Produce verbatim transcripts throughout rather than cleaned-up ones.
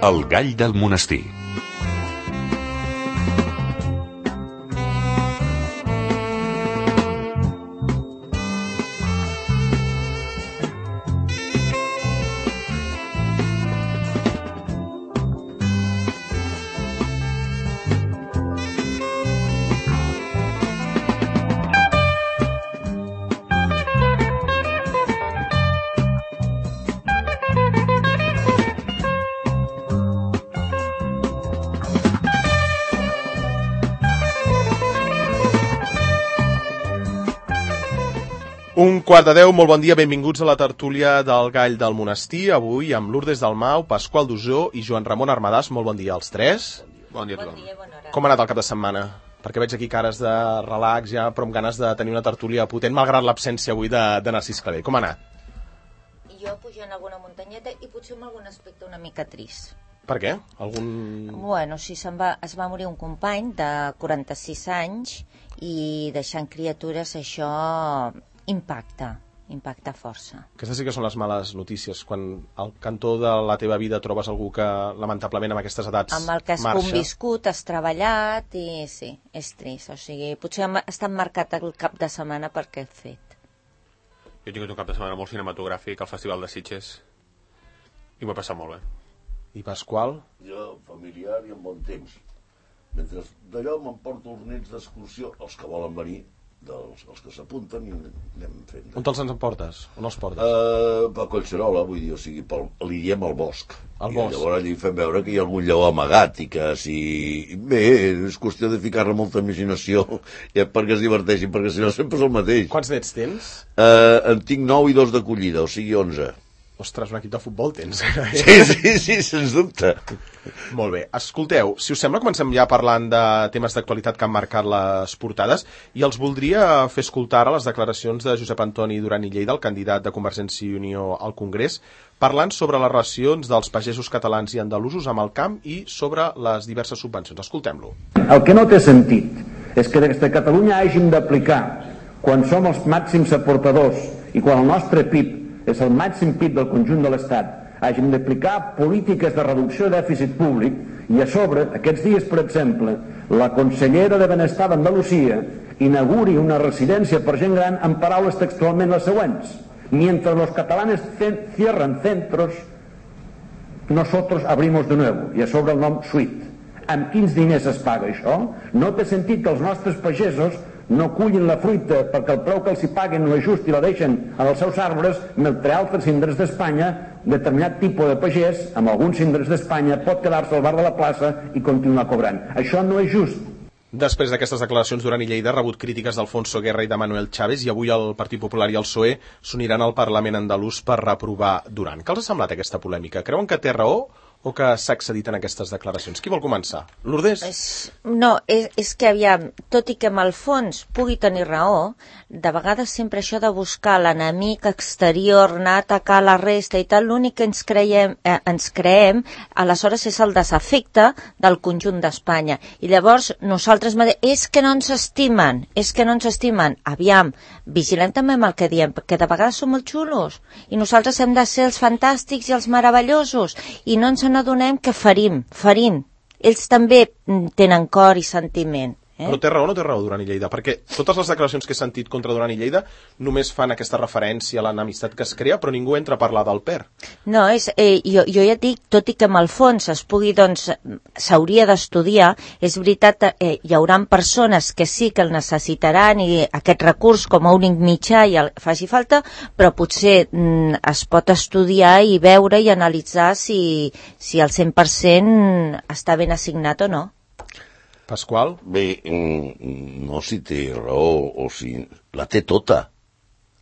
El gall del monestir. Un quart de deu, molt bon dia, benvinguts a la tertúlia del Gall del Monestir, avui amb Lourdes Dalmau, Pasqual Dusó i Joan Ramon Armadàs. Molt bon dia als tres. Bon dia a tothom. Bon dia, bona hora. Com ha anat el cap de setmana? Perquè veig aquí cares de relax ja, però amb ganes de tenir una tertúlia potent, malgrat l'absència avui de, de Narcís Clavé. Com ha anat? Jo pujant alguna muntanyeta i potser amb algun aspecte una mica trist. Per què? Algun... Bueno, sí, se'n va, es va morir un company de quaranta-sis anys i deixant criatures això impacta, impacta força. Aquestes sí que són les males notícies, quan al cantó de la teva vida trobes algú que lamentablement amb aquestes edats amb el que has marxa. conviscut, has treballat i sí, és trist. O sigui, potser ha estat marcat el cap de setmana per aquest fet. Jo he tingut un cap de setmana molt cinematogràfic al Festival de Sitges i m'ho he passat molt bé. I Pasqual? Jo, familiar i amb bon temps. Mentre d'allò m'emporto els nens d'excursió, els que volen venir, dels els que s'apunten i anem fent. On te'ls ens emportes? On els portes? Uh, per Collserola, vull dir, o sigui, pel, li diem al bosc. Al I bosc. llavors allà hi fem veure que hi ha algun lleó amagat i que si... Bé, és qüestió de ficar-ne molta imaginació ja, perquè es diverteixin, perquè si no sempre és el mateix. Quants nets tens? Uh, en tinc nou i dos d'acollida, o sigui onze. Ostres, un equip de futbol tens. Sí, sí, sí, sens dubte. Molt bé. Escolteu, si us sembla, comencem ja parlant de temes d'actualitat que han marcat les portades i els voldria fer escoltar a les declaracions de Josep Antoni Duran i Lleida, el candidat de Convergència i Unió al Congrés, parlant sobre les relacions dels pagesos catalans i andalusos amb el camp i sobre les diverses subvencions. Escoltem-lo. El que no té sentit és que des de Catalunya hàgim d'aplicar, quan som els màxims aportadors i quan el nostre P I B és el màxim P I B del conjunt de l'Estat, hàgim d'aplicar polítiques de reducció de dèficit públic i a sobre, aquests dies, per exemple, la consellera de Benestar d'Andalusia inauguri una residència per gent gran amb paraules textualment les següents: mientras los catalanes cierran centros, nosotros abrimos de nuevo, i a sobre el nom Suite. Amb quins diners es paga això? No té sentit que els nostres pagesos no cullin la fruita perquè el preu que els hi paguen no és just i la deixen en els seus arbres, mentre altres indrets d'Espanya, determinat tipus de pagès, amb alguns indrets d'Espanya, pot quedar-se al bar de la plaça i continuar cobrant. Això no és just. Després d'aquestes declaracions, Duran i Lleida ha rebut crítiques d'Alfonso Guerra i de Manuel Chávez i avui el Partit Popular i el P S O E s'uniran al Parlament andalús per reprovar Duran. Què els ha semblat aquesta polèmica? Creuen que té raó o que s'ha excedit en aquestes declaracions? Qui vol començar? Lourdes? És, no, és, és que aviam, tot i que amb el fons pugui tenir raó, de vegades sempre això de buscar l'enemic exterior, anar a atacar la resta i tal, l'únic que ens creiem, eh, ens creem aleshores és el desafecte del conjunt d'Espanya. I llavors nosaltres és que no ens estimen, és que no ens estimen. Aviam, vigilem també amb el que diem, perquè de vegades som molt xulos i nosaltres hem de ser els fantàstics i els meravellosos i no ens n'adonem que ferim, ferim. Ells també tenen cor i sentiment. Eh? Però té raó o no té raó Duran i Lleida? Perquè totes les declaracions que he sentit contra Duran i Lleida només fan aquesta referència a l'enemistat que es crea, però ningú entra a parlar del P E R. No, és, eh, jo, jo ja dic, tot i que amb el fons es pugui, doncs, s'hauria d'estudiar, és veritat, eh, hi haurà persones que sí que el necessitaran i aquest recurs com a únic mitjà i el, faci falta, però potser mm, es pot estudiar i veure i analitzar si, si el cent per cent està ben assignat o no. Pasqual? Bé, no si té raó o si... La té tota.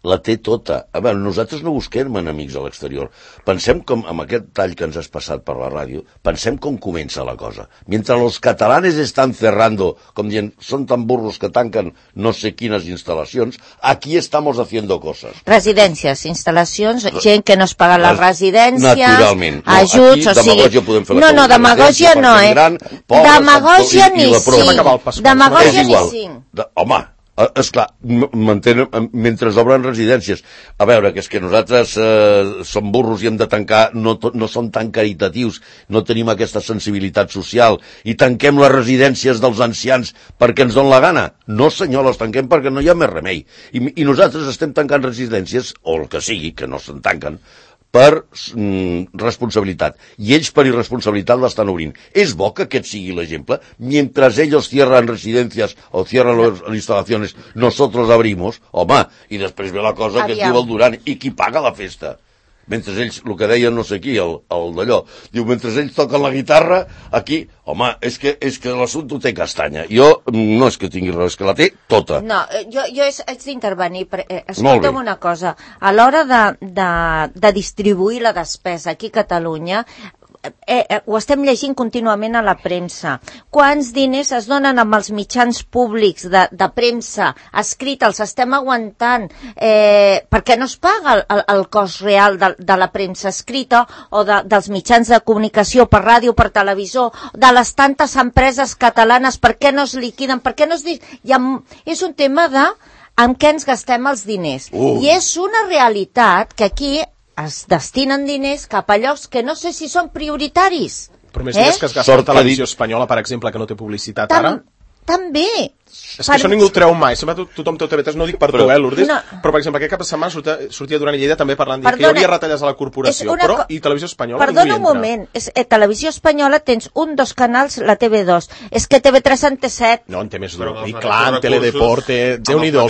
La té tota. A veure, nosaltres no busquem enemics a l'exterior. Pensem com, amb aquest tall que ens has passat per la ràdio, pensem com comença la cosa. Mentre los catalanes estan cerrando, com dient, són tan burros que tanquen no sé quines instal·lacions, aquí estamos haciendo coses. Residències, instal·lacions, gent que no es paga les residències, naturalment. No, ajuts, aquí, o sigui... demagògia podem fer la no, no, demagògia no, eh? Gran, pobres, demagògia i, ni i cinc. Demagògia ni cinc. De, home, Esclar, mantenen, mentre obren residències. A veure, que és que nosaltres eh, som burros i hem de tancar, no, no som tan caritatius, no tenim aquesta sensibilitat social, i tanquem les residències dels ancians perquè ens donen la gana. No, senyor, les tanquem perquè no hi ha més remei. I, i nosaltres estem tancant residències, o el que sigui, que no se'n tanquen, per mm, responsabilitat. I ells per irresponsabilitat l'estan obrint. És bo que aquest sigui l'exemple. Mientras ellos cierran residencias o cierran las instalaciones, nosotros abrimos. Home, i després ve la cosa que es diu el Duran. I qui paga la festa? Mentre ells, el que deien no sé qui, el, el d'allò, diu, mentre ells toquen la guitarra, aquí, home, és que, és que l'assumpte té castanya. Jo no és que tingui res, és que la té tota. No, jo, jo haig d'intervenir. Eh, escolta'm una cosa. A l'hora de, de, de distribuir la despesa aquí a Catalunya, Eh, eh, ho estem llegint contínuament a la premsa. Quants diners es donen amb els mitjans públics de, de premsa escrita, els estem aguantant, eh, perquè no es paga el, el, el cost real de, de la premsa escrita o de, dels mitjans de comunicació per ràdio, per televisor, de les tantes empreses catalanes, per què no es liquiden, per què no es... Hi ha, és un tema de amb què ens gastem els diners. Uh. I és una realitat que aquí es destinen diners cap a llocs que no sé si són prioritaris. Però més eh? diners que es gasta la televisió espanyola, per exemple, que no té publicitat Tam ara. També. És que per... això ningú ho treu mai. Sempre tothom té T V tres, no ho dic per tu, eh, Lourdes? No. Però, per exemple, aquest cap de setmana sortia, sortia Duran i Lleida també parlant de que hi hauria retalles a la corporació, una... però i televisió espanyola Perdona un moment, és, eh, televisió espanyola tens un, dos canals, la T V dos. És que T V tres en té set. No, en té més d'un. I clar, en Teledeporte, Déu-n'hi-do.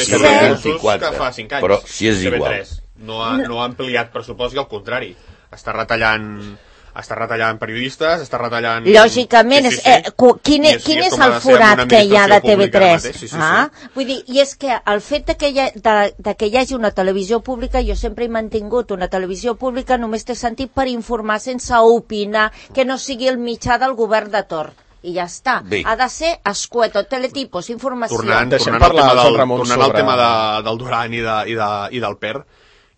Però si és igual. No ha, no ha ampliat pressupost i al contrari. Està retallant... està retallant periodistes, està retallant... Lògicament, sí, sí, sí. Eh, quin, és, quin és, és el forat que hi ha de T V tres? Sí, sí, ah? sí. Vull dir, i és que el fet de que, hi ha, de, de que hi hagi una televisió pública, jo sempre he mantingut una televisió pública només té sentit per informar sense opinar, que no sigui el mitjà del govern de torn. I ja està. Bé. Ha de ser escueto, teletipos, informació. Tornant, tornant, al, tema del, tornant sobre... al tema de, del Duran i, de, i, de, i del Per,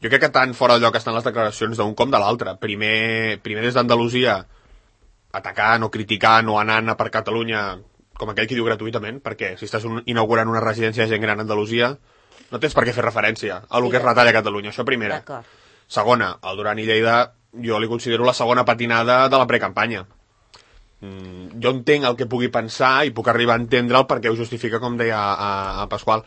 jo crec que tan fora de lloc estan les declaracions d'un com de l'altre. Primer, primer des d'Andalusia, atacant o criticant o anant a per Catalunya, com aquell que diu gratuïtament, perquè si estàs un, inaugurant una residència de gent gran a Andalusia, no tens per què fer referència a el sí, que es retalla a Catalunya. Això primera. Segona, el Duran i Lleida, jo li considero la segona patinada de la precampanya. Mm, jo entenc el que pugui pensar i puc arribar a entendre'l perquè ho justifica, com deia a, a, a Pasqual.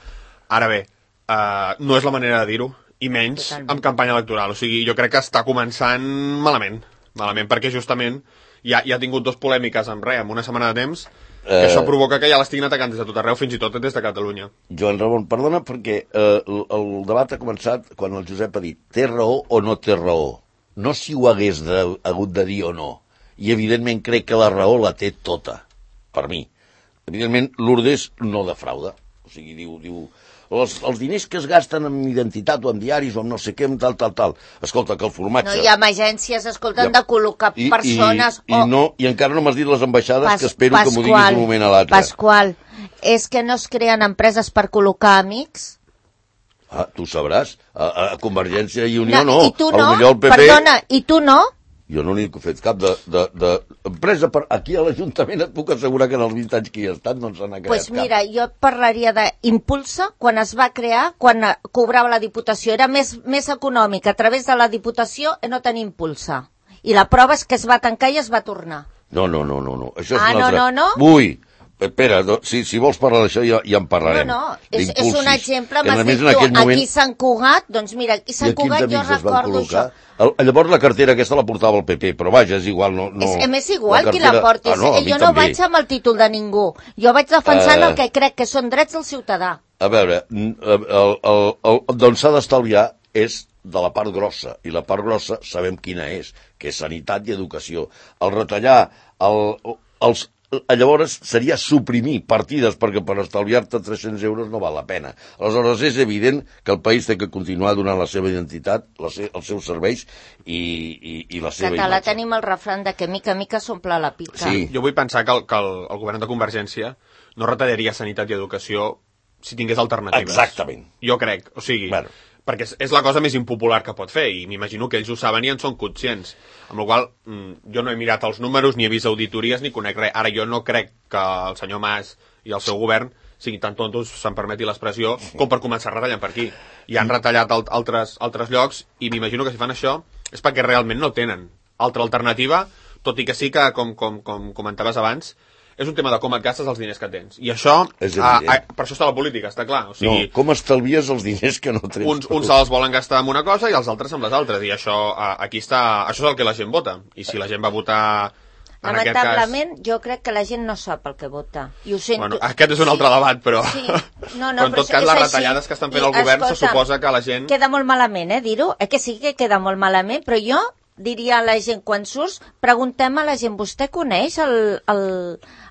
Ara bé, uh, no és la manera de dir-ho, i menys amb campanya electoral. O sigui, jo crec que està començant malament, malament, perquè justament ja, ja ha tingut dos polèmiques en res, en una setmana de temps, que eh... això provoca que ja l'estiguin atacant des de tot arreu, fins i tot des de Catalunya. Joan Ramon, perdona, perquè eh, el, el debat ha començat quan el Josep ha dit té raó o no té raó. No si ho hagués de, hagut de dir o no. I evidentment crec que la raó la té tota, per mi. Evidentment, Lourdes no defrauda. O sigui, diu... diu Els, els diners que es gasten en identitat o en diaris o en no sé què, en tal, tal, tal. Escolta, que el formatge... No hi ha agències, escolten, ja. de col·locar I, persones... I, o... i, no, I encara no m'has dit les ambaixades, Pas, que espero Pasqual, que m'ho diguis d'un moment a l'altre. Pasqual, és que no es creen empreses per col·locar amics? Ah, tu sabràs. A, a Convergència i Unió no. no. I tu no? El P P... Perdona, i tu no? Jo no n'he fet cap de, de, de empresa. Per... Aquí a l'Ajuntament et puc assegurar que en els vint anys que hi ha estat no ens n'ha creat pues mira, cap. Jo parlaria d'Impulsa, quan es va crear, quan cobrava la Diputació. Era més, més econòmic a través de la Diputació no tenir Impulsa. I la prova és que es va tancar i es va tornar. No, no, no, no. no. Això és ah, no, no, no? Ui, espera, si, si vols parlar d'això ja, ja en parlarem. No, no, és, és un exemple, m'has dit tu, moment... aquí Sant Cugat, doncs mira, aquí Sant Cugat jo recordo això. El, llavors la cartera aquesta la portava el P P, però vaja, és igual. No, no, és, és igual la cartera... qui la porti, ah, no, jo no també. Vaig amb el títol de ningú, jo vaig defensant uh... el que crec que són drets del ciutadà. A veure, el, el, el, el, d'on s'ha d'estalviar és de la part grossa, i la part grossa sabem quina és, que és sanitat i educació. El retallar el, els llavors seria suprimir partides perquè per estalviar-te tres-cents euros no val la pena. Aleshores és evident que el país té que continuar donant la seva identitat, la se els seus serveis i, i, i la seva Català imatge. Tenim el refrany de que mica a mica s'omple la pica. Sí. Jo vull pensar que, el, que el, el govern de Convergència no retallaria sanitat i educació si tingués alternatives. Exactament. Jo crec, o sigui... Bueno. perquè és la cosa més impopular que pot fer, i m'imagino que ells ho saben i en són conscients. Amb la qual cosa, jo no he mirat els números, ni he vist auditories, ni conec res. Ara, jo no crec que el senyor Mas i el seu govern siguin tan tontos, se'n permeti l'expressió, com per començar retallant per aquí. I han retallat al altres, altres llocs, i m'imagino que si fan això és perquè realment no tenen altra alternativa, tot i que sí que, com, com, com comentaves abans, és un tema de com et gastes els diners que tens. I això, a, a, per això està la política, està clar. O sigui, no, com estalvies els diners que no tens. Uns, uns se'ls volen gastar amb una cosa i els altres amb les altres. I això, a, aquí està, això és el que la gent vota. I si la gent va votar... En Lamentablement, cas... jo crec que la gent no sap el que vota. I ho sento. Bueno, aquest és un altre sí, debat, però... Sí. No, no, però en tot però cas, les així. retallades que estan fent I, el govern escolta, se suposa que la gent... Queda molt malament, eh, dir-ho? Eh que sí que queda molt malament, però jo diria a la gent, quan surts, preguntem a la gent, vostè coneix el, el,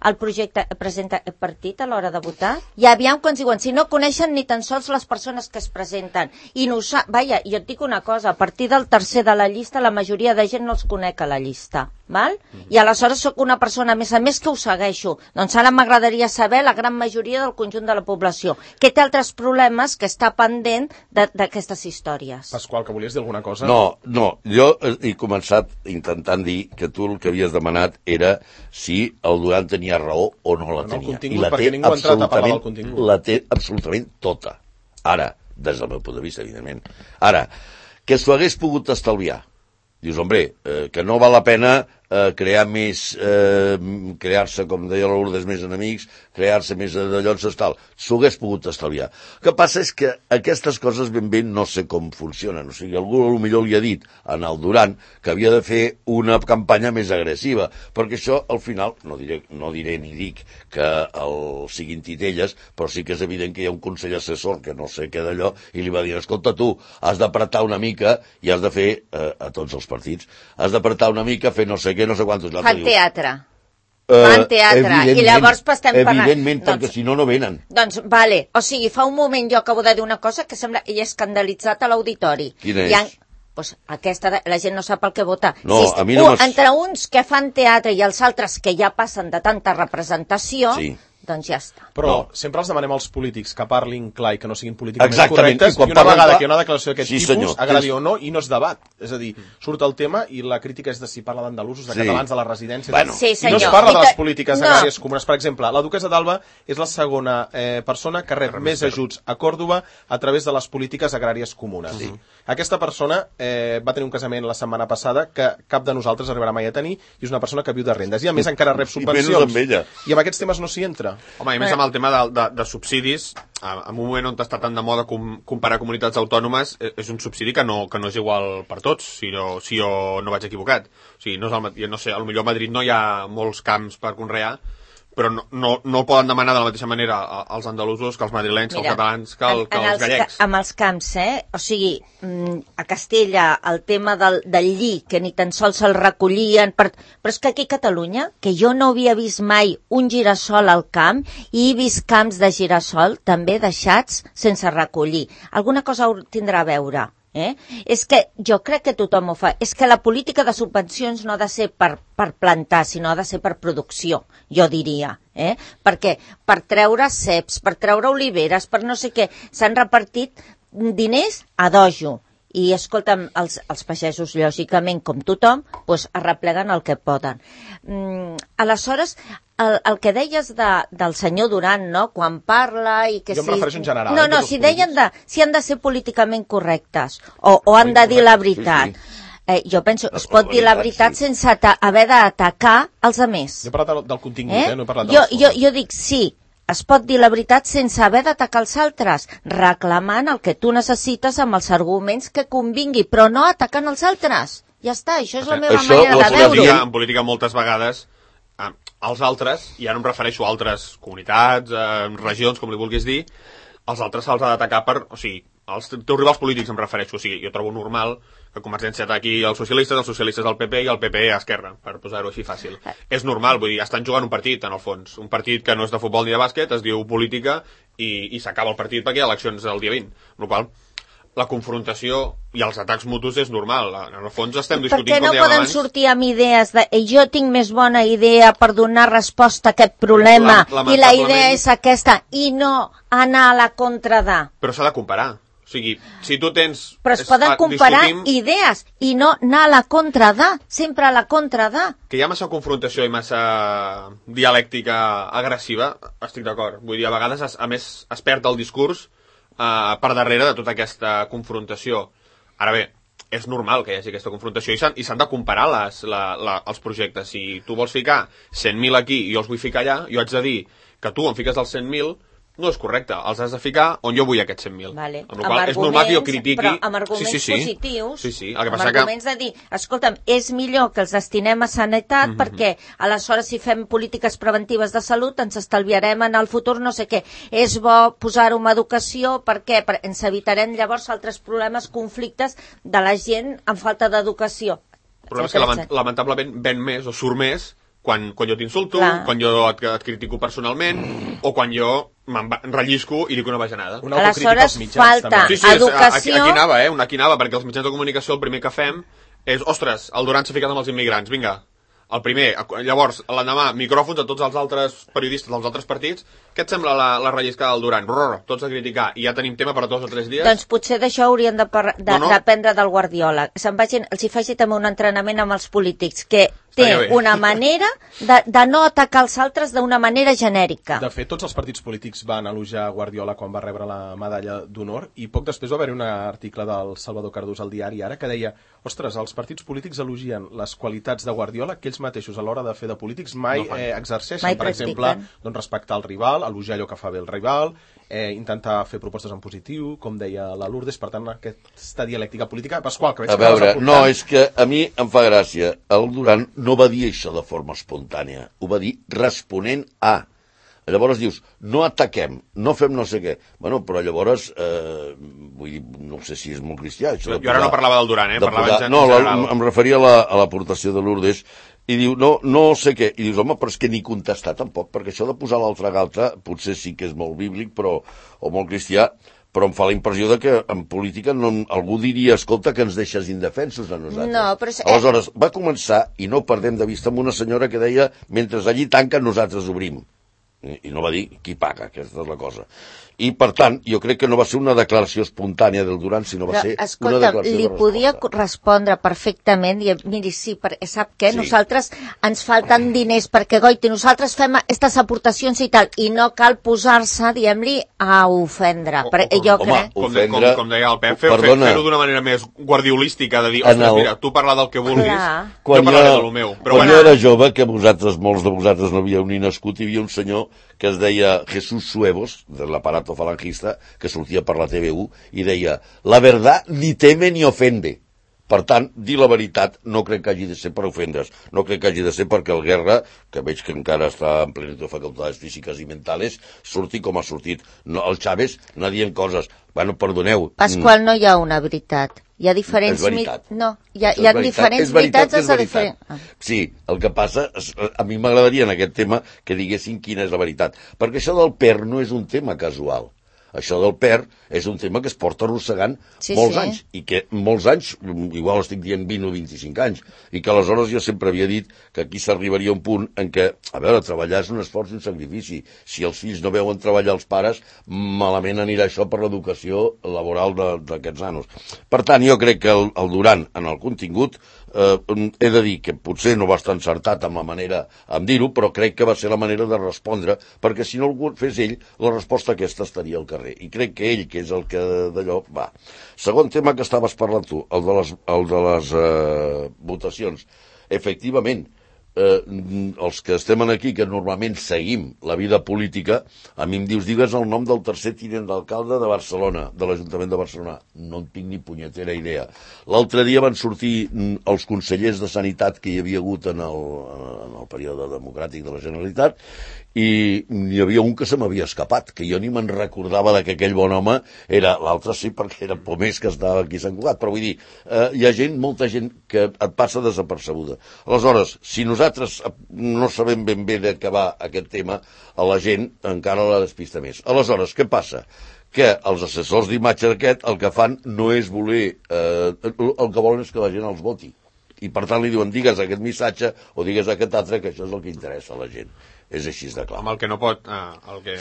el projecte presenta partit a l'hora de votar? I aviam quan diuen, si no coneixen ni tan sols les persones que es presenten. I no sa... Vaja, jo et dic una cosa, a partir del tercer de la llista, la majoria de gent no els conec a la llista. Val? Mm-hmm. I aleshores sóc una persona, a més a més, que ho segueixo. Doncs ara m'agradaria saber la gran majoria del conjunt de la població, que té altres problemes que està pendent d'aquestes històries. Pasqual, que volies dir alguna cosa? No, no, jo he començat intentant dir que tu el que havies demanat era si el Duran tenia raó o no la tenia. I la té absolutament, la té absolutament tota. Ara, des del meu punt de vista, evidentment. Ara, que s'ho hagués pogut estalviar. Dius, hombre, eh, que no val la pena eh, crear més, eh, crear-se, com deia la Lourdes, més enemics, crear-se més de llocs, tal. S'ho hagués pogut estalviar. El que passa és que aquestes coses ben bé no sé com funcionen. O sigui, algú potser li ha dit en el Duran que havia de fer una campanya més agressiva, perquè això, al final, no diré, no diré ni dic que el siguin titelles, però sí que és evident que hi ha un consell assessor que no sé què d'allò, i li va dir, escolta, tu, has d'apretar una mica i has de fer, eh, a tots els partits, has d'apretar una mica, fer no sé què, no sé quantos... Fan teatre. Fan teatre. Uh, I llavors estem parlant... Evidentment, perquè doncs, si no, no venen. Doncs, vale. O sigui, fa un moment jo acabo de dir una cosa que sembla... I he escandalitzat a l'auditori. Quina és? Ha... Pues aquesta, la gent no sap el que vota. No, si, a mi no un, entre uns que fan teatre i els altres que ja passen de tanta representació... Sí. Doncs ja està. Però no. sempre els demanem als polítics que parlin clar i que no siguin políticament Exactament. correctes, i, i una vegada clar... que hi ha una declaració d'aquest sí, tipus, senyor. agradi o no, i no es debat. És a dir, surt el tema i la crítica és de si parla d'andalusos, de sí. catalans, de les residències... Bueno. Sí, I no es parla de les polítiques no. agràries comunes. Per exemple, la duquessa d'Alba és la segona eh, persona que rep més ajuts a Còrdova a través de les polítiques agràries comunes. Sí. Aquesta persona eh, va tenir un casament la setmana passada que cap de nosaltres arribarà mai a tenir, i és una persona que viu de rendes. I a més encara rep subvencions. I, amb ella. I amb aquests temes no s'hi entra. Home, i a més amb el tema de, de, de subsidis, en un moment on està tan de moda com, comparar comunitats autònomes, és un subsidi que no, que no és igual per tots, si jo, si jo no vaig equivocat. O sigui, no és el, no sé, potser a Madrid no hi ha molts camps per conrear, però no, no, no el poden demanar de la mateixa manera als andalusos que als madrilenys, que als catalans, que, el, que als gallecs. Amb els camps, eh? O sigui, a Castella, el tema del, del lli, que ni tan sols se'l recollien, per... però és que aquí a Catalunya, que jo no havia vist mai un girassol al camp, i he vist camps de girassol també deixats sense recollir. Alguna cosa tindrà a veure. Eh? És que jo crec que tothom ho fa. És que la política de subvencions no ha de ser per, per plantar, sinó ha de ser per producció, jo diria. Eh? Perquè per treure ceps, per treure oliveres, per no sé què, s'han repartit diners a dojo. I, escolta'm, els, els pagesos, lògicament, com tothom, doncs arrepleguen el que poden. Mm, aleshores, el, el que deies de, del senyor Duran, no?, quan parla i que jo si... em refereixo en general. No, no, si deien de, si han de ser políticament correctes o, o han de dir la veritat. Sí, sí. Eh, jo penso, es pot dir la veritat sí. sense haver d'atacar els altres. Jo he parlat del, del contingut, eh? eh? No he parlat de jo, jo, jo dic sí. Es pot dir la veritat sense haver d'atacar els altres, reclamant el que tu necessites amb els arguments que convingui, però no atacant els altres. Ja està, això és la meva això, manera de veure-ho. En política moltes vegades eh, els altres, i ara em refereixo a altres comunitats, eh, regions, com li vulguis dir, els altres se'ls ha d'atacar per... O sigui, els teus rivals polítics em refereixo, o sigui, jo trobo normal que Convergència ataqui els socialistes, els socialistes al P P i el P P a Esquerra, per posar-ho així fàcil. Eh. És normal, vull dir, estan jugant un partit, en el fons. Un partit que no és de futbol ni de bàsquet, es diu política, i, i s'acaba el partit perquè hi ha eleccions el dia vint. Amb la qual la confrontació i els atacs mutus és normal. En el fons estem discutint, com dèiem abans... Per què no poden sortir amb idees de jo tinc més bona idea per donar resposta a aquest problema, la, i la idea és aquesta, i no anar a la contra de... Però s'ha de comparar. O sigui, si tu tens... Però es poden comparar idees i no anar a la contra de, sempre a la contra de. Que hi ha massa confrontació i massa dialèctica agressiva, estic d'acord. Vull dir, a vegades, es, a més, es perd el discurs eh, per darrere de tota aquesta confrontació. Ara bé, és normal que hi hagi aquesta confrontació i s'han de comparar les, la, la, els projectes. Si tu vols ficar cent mil aquí i jo els vull ficar allà, jo haig de dir que tu em fiques els cent mil, no és correcte, els has de ficar on jo vull aquests cent mil. Vale. Amb la qual és normal que jo critiqui... Però amb arguments sí, sí, sí. positius, sí, sí. El que amb passa arguments que... de dir, escolta'm, és millor que els destinem a sanitat mm -hmm. perquè aleshores si fem polítiques preventives de salut ens estalviarem en el futur no sé què. És bo posar-ho en educació perquè ens evitarem llavors altres problemes, conflictes de la gent amb falta d'educació. El problema és que lament, lamentablement ven més o surt més quan, quan jo t'insulto, quan jo et, et critico personalment o quan jo m'enrellisco i dic una bajanada. Una aleshores mitjans, falta també. Sí, sí, educació... Aquí, aquí anava, eh? Aquí anava, perquè els mitjans de comunicació el primer que fem és, ostres, el Duran s'ha ficat amb els immigrants, vinga. El primer, llavors, l'endemà, micròfons a tots els altres periodistes dels altres partits. Què et sembla la, la relliscada del Duran? Brrr, tots a criticar. I ja tenim tema per a dos o tres dies. Doncs potser d'això haurien d'aprendre de, no, no. del Guardiola. Se'n vagin, els hi faci també un entrenament amb els polítics, que té una manera de, de no atacar els altres d'una manera genèrica. De fet, tots els partits polítics van elogiar Guardiola quan va rebre la medalla d'honor i poc després va haver-hi un article del Salvador Cardús al diari Ara que deia, ostres, els partits polítics elogien les qualitats de Guardiola que ells mateixos a l'hora de fer de polítics mai no eh, exerceixen, mai per exemple, doncs, respectar el rival, elogiar allò que fa bé el rival, eh, intentar fer propostes en positiu, com deia la Lourdes, per tant, aquesta dialèctica política. Pasqual, que veig a que veure, no, és que a mi em fa gràcia. El Duran no va dir això de forma espontània, ho va dir responent a. Llavors dius, no ataquem, no fem no sé què. Bueno, però llavors, eh, vull dir, no sé si és molt cristià. Això jo posar, ara no parlava del Duran, eh? Parlava posar, no, la, em referia a l'aportació la, de Lourdes, i diu, no, no sé què. I dius, home, però és que ni contestar tampoc, perquè això de posar l'altra galta potser sí que és molt bíblic, però, o molt cristià, però em fa la impressió de que en política no, algú diria, escolta, que ens deixes indefensos a nosaltres. No, però... Aleshores, va començar, i no perdem de vista, amb una senyora que deia, mentre allí tanquen, nosaltres obrim. I, i no va dir qui paga, aquesta és la cosa. I, per tant, jo crec que no va ser una declaració espontània del Duran, sinó va però, ser escolta, una declaració li de resposta. Podia respondre perfectament, i miri, sí, perquè sap què? Sí. Nosaltres ens falten diners perquè, goiti, nosaltres fem aquestes aportacions i tal, i no cal posar-se, diguem-li, a ofendre. O, o, jo home, crec... Com, ofendre, com, com deia el Pep, fer-ho fer, fer d'una manera més guardiolística, de dir, ostres, el... mira, tu parla del que vulguis, quan jo parlaré del meu. Però quan bueno. jo era jove, que vosaltres, molts de vosaltres no havíeu ni nascut, hi havia un senyor que es deia Jesús Suevos, de l'aparato falangista, que sortia per la T V u, i deia, la verdad ni teme ni ofende. Per tant, dir la veritat no crec que hagi de ser per ofendre's, no crec que hagi de ser perquè el Guerra, que veig que encara està en plenitud de facultades físiques i mentales, surti com ha sortit. No, el Chávez no dient coses, bueno, perdoneu. Pasqual, no hi ha una veritat. Hi ha diferents... És veritat. No, hi ha, hi ha diferents veritats. És veritat. Ah. Sí, el que passa, a mi m'agradaria en aquest tema que diguessin quina és la veritat, perquè això del P E R no és un tema casual. Això del P E R és un tema que es porta arrossegant sí, molts sí. anys, i que molts anys, igual estic dient vint o vint-i-cinc anys, i que aleshores jo sempre havia dit que aquí s'arribaria a un punt en què, a veure, treballar és un esforç i un sacrifici. Si els fills no veuen treballar els pares, malament anirà això per l'educació laboral d'aquests nanos. Per tant, jo crec que el, el Duran, en el contingut, eh, he de dir que potser no va estar encertat amb la manera en dir-ho, però crec que va ser la manera de respondre, perquè si no el fes ell, la resposta aquesta estaria al carrer. I crec que ell, que és el que d'allò, va. Segon tema que estaves parlant tu, el de les, el de les eh, votacions. Efectivament, eh, els que estem aquí, que normalment seguim la vida política, a mi em dius, digues el nom del tercer tinent d'alcalde de Barcelona, de l'Ajuntament de Barcelona. No en tinc ni punyetera idea. L'altre dia van sortir els consellers de Sanitat que hi havia hagut en el, en el període democràtic de la Generalitat, i hi havia un que se m'havia escapat, que jo ni me'n recordava de que aquell bon home era, l'altre sí perquè era Pomés que estava aquí a Sant Cugat, però vull dir, eh, hi ha gent, molta gent que et passa desapercebuda. Aleshores, si nosaltres no sabem ben bé de què va aquest tema, a la gent encara la despista més. Aleshores, què passa? Que els assessors d'imatge aquest el que fan no és voler, eh, el que volen és que la gent els voti. I per tant li diuen, digues aquest missatge o digues aquest altre, que això és el que interessa a la gent. És així de clar. Amb el que no pot, eh, el que,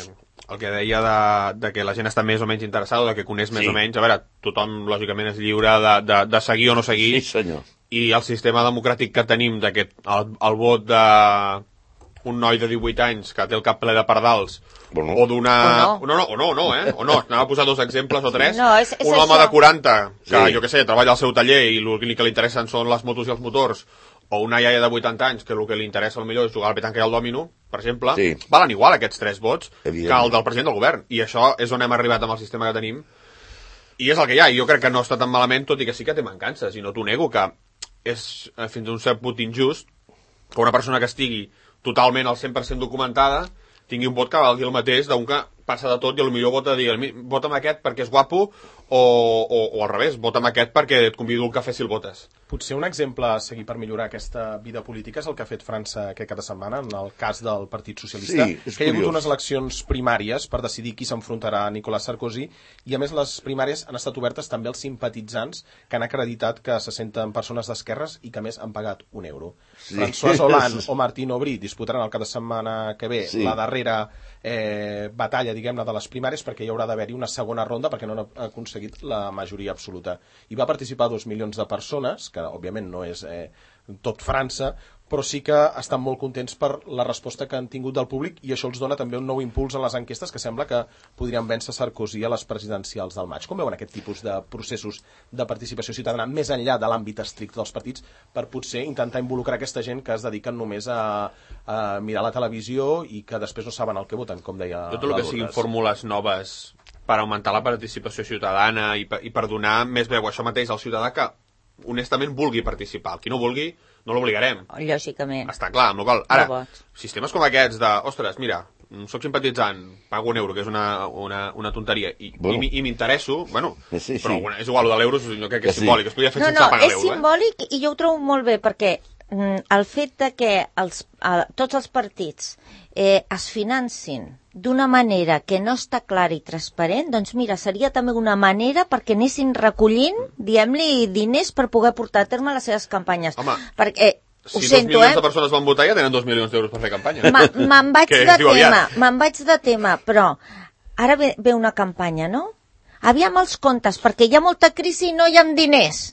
el que deia de, de que la gent està més o menys interessada, de que coneix més sí. o menys, a veure, tothom lògicament és lliure de, de, de seguir o no seguir. Sí, senyor. I el sistema democràtic que tenim d'aquest, el, el vot de un noi de divuit anys que té el cap ple de pardals, bueno. o d'una... O no. no, no, o no, o no, eh? O no, anava a posar dos exemples o tres. No, és, és un home això. de quaranta, que sí. jo què sé, treballa al seu taller i el que li interessen són les motos i els motors, o una iaia de vuitanta anys que el que li interessa millor és jugar al petanca i al dòmino, per exemple, sí. valen igual aquests tres vots que el del president del govern. I això és on hem arribat amb el sistema que tenim. I és el que hi ha. I jo crec que no està tan malament, tot i que sí que té mancances. I no t'ho nego, que és fins a un cert punt injust que una persona que estigui totalment al cent per cent documentada tingui un vot que valgui el mateix d'un que passa de tot i potser vota a dir, vota amb aquest perquè és guapo o, o, o al revés, vota amb aquest perquè et convido al cafè si el votes. Potser un exemple a seguir per millorar aquesta vida política és el que ha fet França aquest cap de setmana, en el cas del Partit Socialista, sí, que hi ha hagut unes eleccions primàries per decidir qui s'enfrontarà a Nicolas Sarkozy, i a més les primàries han estat obertes també als simpatitzants que han acreditat que se senten persones d'esquerres i que a més han pagat un euro. Sí. François Hollande o Martine Aubry disputaran el cap de setmana que ve sí. la darrera eh, batalla, diguem-ne, de les primàries, perquè hi haurà d'haver-hi una segona ronda perquè no han aconseguit la majoria absoluta. Hi va participar dos milions de persones, que òbviament no és eh, tot França, però sí que estan molt contents per la resposta que han tingut del públic, i això els dona també un nou impuls en les enquestes que sembla que podrien vèncer Sarkozy a les presidencials del maig. Com veuen aquest tipus de processos de participació ciutadana més enllà de l'àmbit estricte dels partits per potser intentar involucrar aquesta gent que es dediquen només a, a mirar la televisió i que després no saben el que voten, com deia tot el que siguin fórmules noves per augmentar la participació ciutadana i per, i per donar més veu a això mateix al ciutadà que honestament vulgui participar. El qui no vulgui, no l'obligarem. Lògicament. Està clar, amb la qual ara, sistemes com aquests de, ostres, mira, soc simpatitzant, pago un euro, que és una, una, una tonteria, i, bueno. i, i m'interesso, bueno, sí, sí. però bueno, és igual, el de l'euro jo crec que és sí. simbòlic, es podria fer no, sense no, pagar l'euro. No, és simbòlic, eh? I jo ho trobo molt bé, perquè mm, el fet de que els, eh, tots els partits eh, es financin d'una manera que no està clara i transparent, doncs mira, seria també una manera perquè anessin recollint, diguem-li, diners per poder portar a terme les seves campanyes. Home, perquè, si ho dos sento, milions eh? de persones van votar ja tenen dos milions d'euros per fer campanya. Me'n vaig de tema, me'n vaig de tema, però ara ve, ve una campanya, no? Aviam els comptes, perquè hi ha molta crisi i no hi ha diners.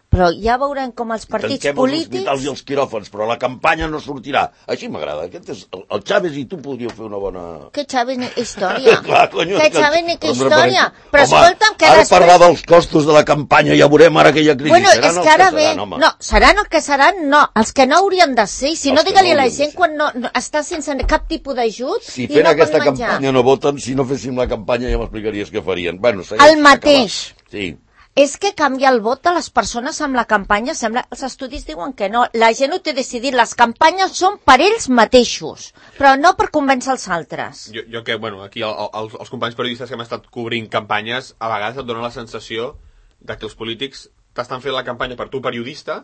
Però ja veurem com els partits Tanquem polítics... els hospitals i els quiròfans, però la campanya no sortirà. Així m'agrada. Aquest és el, el Chávez i tu podríeu fer una bona... Que Chávez ni que història. Clar, conyo, que Chávez ni que història. Home, però escolta'm que ara després... parlar dels costos de la campanya, ja veurem ara que hi ha crisi. Bueno, seran és els que ara que ve... seran, home. No, seran els que seran, no. Els que no haurien de ser. I si Els no, digue-li no a la de gent quan no, no, està sense cap tipus d'ajut si i fent no aquesta pot menjar. campanya no voten, si no féssim la campanya ja m'explicaries què farien. Bueno, el mateix. Sí. És que canvia el vot de les persones amb la campanya, sembla, els estudis diuen que no. La gent ho té decidit, les campanyes són per ells mateixos, però no per convèncer els altres. Jo, jo que, bueno, aquí el, el, els companys periodistes que hem estat cobrint campanyes, a vegades et donen la sensació de que els polítics t'estan fent la campanya per tu periodista,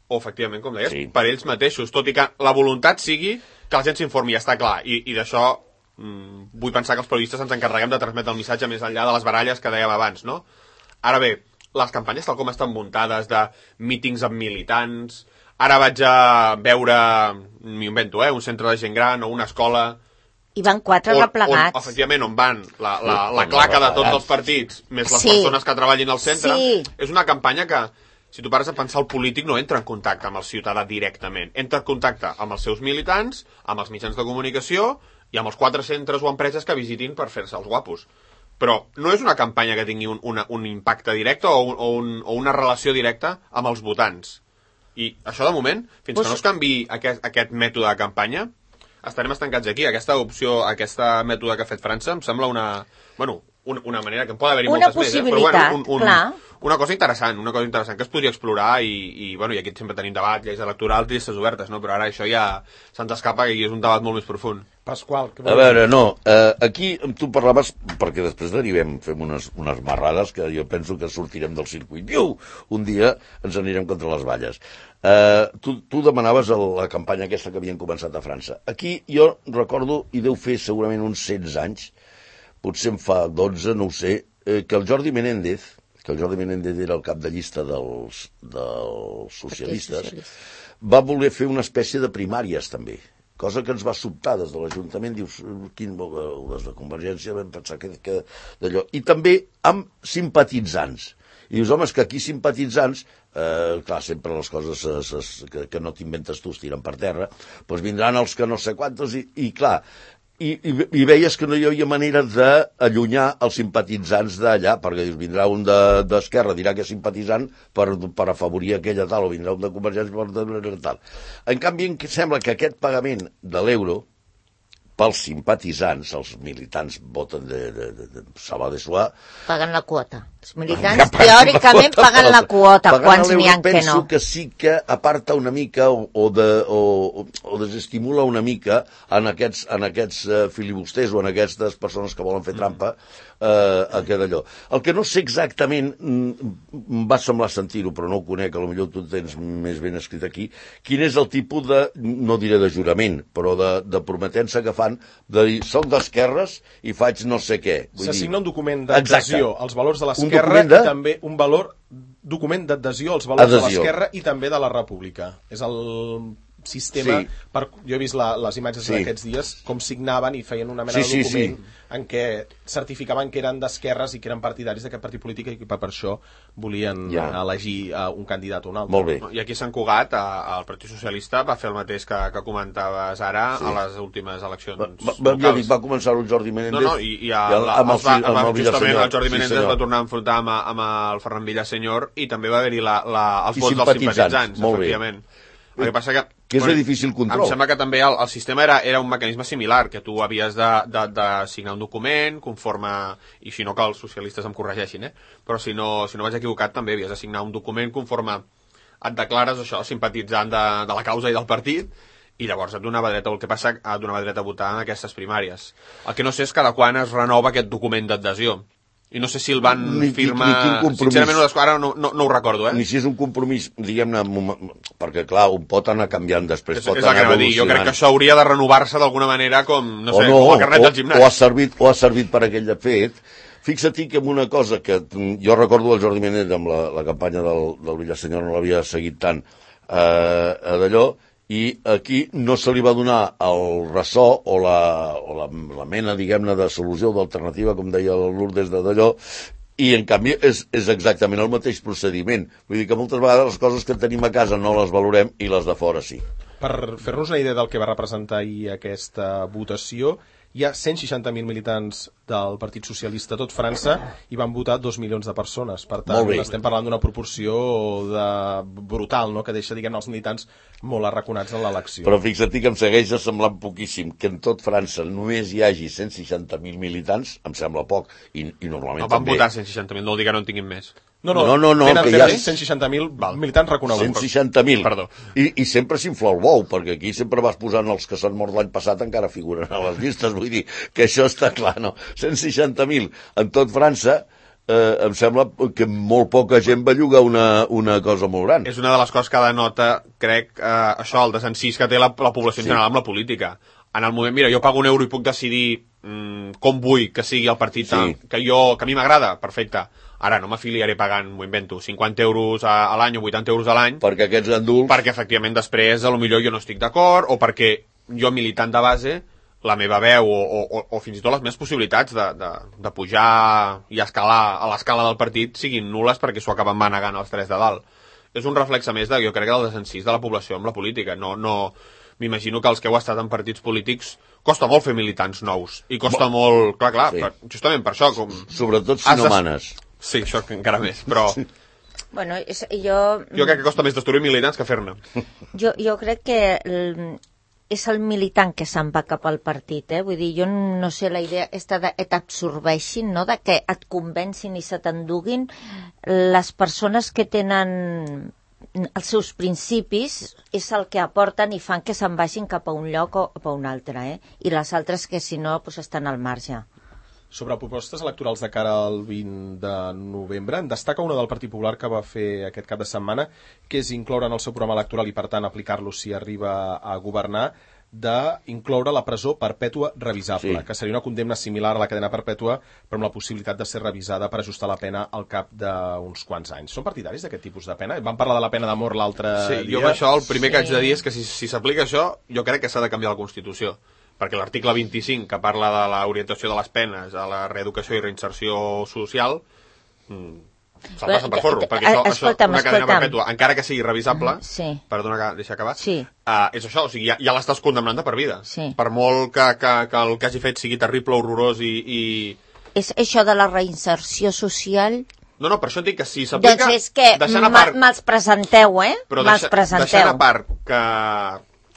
o efectivament, com deies, sí. per ells mateixos, tot i que la voluntat sigui que la gent s'informi, ja està clar, i, i d'això mmm, vull pensar que els periodistes ens encarreguem de transmetre el missatge més enllà de les baralles que dèiem abans, no? Ara bé, les campanyes tal com estan muntades de mítings amb militants, ara vaig a veure, m'ho invento, eh, un centre de gent gran o una escola... I van quatre on, replegats. On, efectivament, on van la, la, la claca de tots els partits, més les sí. persones que treballin al centre, sí. és una campanya que, si tu pares a pensar, el polític no entra en contacte amb el ciutadà directament, entra en contacte amb els seus militants, amb els mitjans de comunicació i amb els quatre centres o empreses que visitin per fer-se els guapos. Però no és una campanya que tingui un, una, un impacte directe o, un, o, un, o una relació directa amb els votants. I això, de moment, fins pues... que no es canvi aquest, aquest mètode de campanya, estarem estancats aquí. Aquesta opció, aquesta mètode que ha fet França, em sembla una... Bueno, una, una manera que en pot haver-hi moltes més, eh? Però bueno, un, un, clar. Una cosa interessant, una cosa interessant que es podria explorar i, i, bueno, i aquí sempre tenim debat, lleis electorals, llistes obertes, no? Però ara això ja se'ns escapa i és un debat molt més profund. Pasqual, que a veure, no, eh, aquí tu parlaves, perquè després derivem, fem unes, unes marrades que jo penso que sortirem del circuit. Iu! Un dia ens anirem contra les valles. Eh, tu, tu demanaves el, la campanya aquesta que havien començat a França. Aquí jo recordo, i deu fer segurament uns setze anys, potser en fa dotze, no ho sé, eh, que el Jordi Menéndez, que el Jordi Menéndez era el cap de llista dels, dels socialistes, va voler fer una espècie de primàries també, cosa que ens va sobtar des de l'Ajuntament, dius, quin, des de Convergència vam pensar que, que d'allò. I també amb simpatitzants. I dius, home, és que aquí simpatitzants, eh, clar, sempre les coses es, es, que, que no t'inventes tu es tiren per terra, doncs vindran els que no sé quantos, i, i clar, i, i, i veies que no hi havia manera d'allunyar els simpatitzants d'allà, perquè dius, vindrà un d'Esquerra, de, dirà que és simpatitzant per, per afavorir aquella tal, o vindrà un de Convergència per tal. En canvi, em sembla que aquest pagament de l'euro, pels simpatitzants, els militants voten de, de, de, de Salva de Soà... Paguen la quota. Els militants teòricament paguen la quota, quants n'hi ha que no. Penso que sí que aparta una mica o, o, de, o, o desestimula una mica en aquests, en aquests uh, filibusters o en aquestes persones que volen fer trampa uh, aquest allò. El que no sé exactament, em va semblar sentir-ho, però no ho conec, a lo millor tu tens més ben escrit aquí, quin és el tipus de, no diré de jurament, però de, de prometença que fan de dir, soc d'esquerres i faig no sé què. S'assigna un document d'adhesió als valors de l'esquerra de... i també un valor document d'adhesió als valors adhesió. de l'esquerra i també de la república. És el sistema, sí. per, jo he vist la, les imatges sí. d'aquests dies, com signaven i feien una mena sí, de document sí, sí. en què certificaven que eren d'esquerres i que eren partidaris d'aquest partit polític i que per això volien ja. elegir uh, un candidat o un altre. Molt bé. I aquí a Sant Cugat, el Partit Socialista va fer el mateix que, que comentaves ara sí. a les últimes eleccions va, va, ja dic, va començar el Jordi Menéndez no, no, i, i, a, i el, amb el, va, amb el, el justament el Jordi Menéndez sí, va tornar a enfrontar amb, amb el Ferran Villasenyor i també va haver-hi la, la, els vots dels simpatitzants, efectivament. El que passa que, que és bueno, de difícil control. Em sembla que també el, el sistema era, era un mecanisme similar, que tu havies de, de, de signar un document conforme, i si no que els socialistes em corregeixin, eh? Però si no, si no vaig equivocat també havies de signar un document conforme et declares això, simpatitzant de, de la causa i del partit, i llavors et donava dret, el que passa et donava dret a votar en aquestes primàries. El que no sé és cada quan es renova aquest document d'adhesió. I no sé si el van ni, firmar... Ni sincerament, no, ara no, no, no ho recordo, eh? Ni si és un compromís, diguem-ne, perquè, clar, un pot anar canviant després, és, pot és anar evolucionant. Dir. Jo crec que això hauria de renovar-se d'alguna manera com, no sé, no, com el carnet o, del gimnàs. O ha servit, o ha servit per aquell fet. Fixa-t'hi que en una cosa que jo recordo el Jordi Menéndez amb la, la campanya del, del Villasenyor, no l'havia seguit tant eh, d'allò, i aquí no se li va donar el ressò o la, o la, la mena, diguem-ne, de solució o d'alternativa, com deia el Lourdes de d'allò, i en canvi és, és exactament el mateix procediment. Vull dir que moltes vegades les coses que tenim a casa no les valorem i les de fora sí. Per fer-nos una idea del que va representar ahir aquesta votació, hi ha cent seixanta mil militants del Partit Socialista a tot França i van votar dos milions de persones. Per tant, estem parlant d'una proporció de... brutal, no? Que deixa, diguem, els militants molt arraconats en l'elecció. Però fixa't que em segueix semblant poquíssim que en tot França només hi hagi cent seixanta mil militants, em sembla poc, i, i normalment no, van també... votar cent seixanta mil, no vol dir que no en tinguin més. No, no, no, no, no tenen que hi ha cent seixanta mil militants reconeguts. cent seixanta mil. Perdó. I, I sempre s'infla el bou, perquè aquí sempre vas posant els que s'han mort l'any passat encara figuren a les llistes, vull dir que això està clar, no? cent seixanta mil en tot França, eh, em sembla que molt poca gent va llogar una, una cosa molt gran. És una de les coses que denota, crec, eh, això, el desencís que té la, la població en sí. general amb la política. En el moment, mira, jo pago un euro i puc decidir mm, com vull que sigui el partit sí. que, jo, que a mi m'agrada, perfecte. Ara no m'afiliaré pagant, m'ho invento, cinquanta euros a, a l'any o vuitanta euros a l'any. Perquè aquests ganduls... Perquè, efectivament, després, a lo millor jo no estic d'acord, o perquè jo, militant de base, la meva veu o, o, o fins i tot les meves possibilitats de, de, de pujar i escalar a l'escala del partit siguin nules perquè s'ho acaben manegant els tres de dalt. És un reflexe més de, jo crec, del desencís de la població amb la política. No, no... M'imagino que els que heu estat en partits polítics costa molt fer militants nous. I costa Bo... molt... Clar, clar, sí. per, justament per això... Com... Sobretot si no de... manes. Sí, això encara més, però... Bueno, és, jo... Jo crec que costa més destruir militants que fer-ne. Jo, jo crec que el, és el militant que se'n va cap al partit, eh? Vull dir, jo no sé, la idea està de, et absorbeixin, no?, de que et convencin i se t'enduguin les persones que tenen els seus principis, és el que aporten i fan que se'n vagin cap a un lloc o cap a un altre, eh? I les altres que, si no, pues, estan al marge. Sobre propostes electorals de cara al vint de novembre, en destaca una del Partit Popular que va fer aquest cap de setmana, que és incloure en el seu programa electoral i, per tant, aplicar-lo si arriba a governar, d'incloure la presó perpètua revisable, Sí. que seria una condemna similar a la cadena perpètua, però amb la possibilitat de ser revisada per ajustar la pena al cap d'uns quants anys. Són partidaris d'aquest tipus de pena? Vam parlar de la pena de mort l'altre Sí, dia. jo amb això el primer Sí. que haig de dir és que si si s'aplica això, jo crec que s'ha de canviar la Constitució, perquè l'article vint-i-cinc, que parla de l'orientació de les penes a la reeducació i reinserció social, mm, se'l passen per forro, perquè això, això una cadena perpètua, encara que sigui revisable, Sí. perdona, deixa acabar, Sí. uh, és això, o sigui, ja, ja l'estàs condemnant de per vida. Sí. Per molt que, que, que el que hagi fet sigui terrible, horrorós i... i... És això de la reinserció social... No, no, per això et dic que si s'aplica... Doncs és que deixant a part, me'ls presenteu, eh? però Me'ls deixa, presenteu. deixant a part que,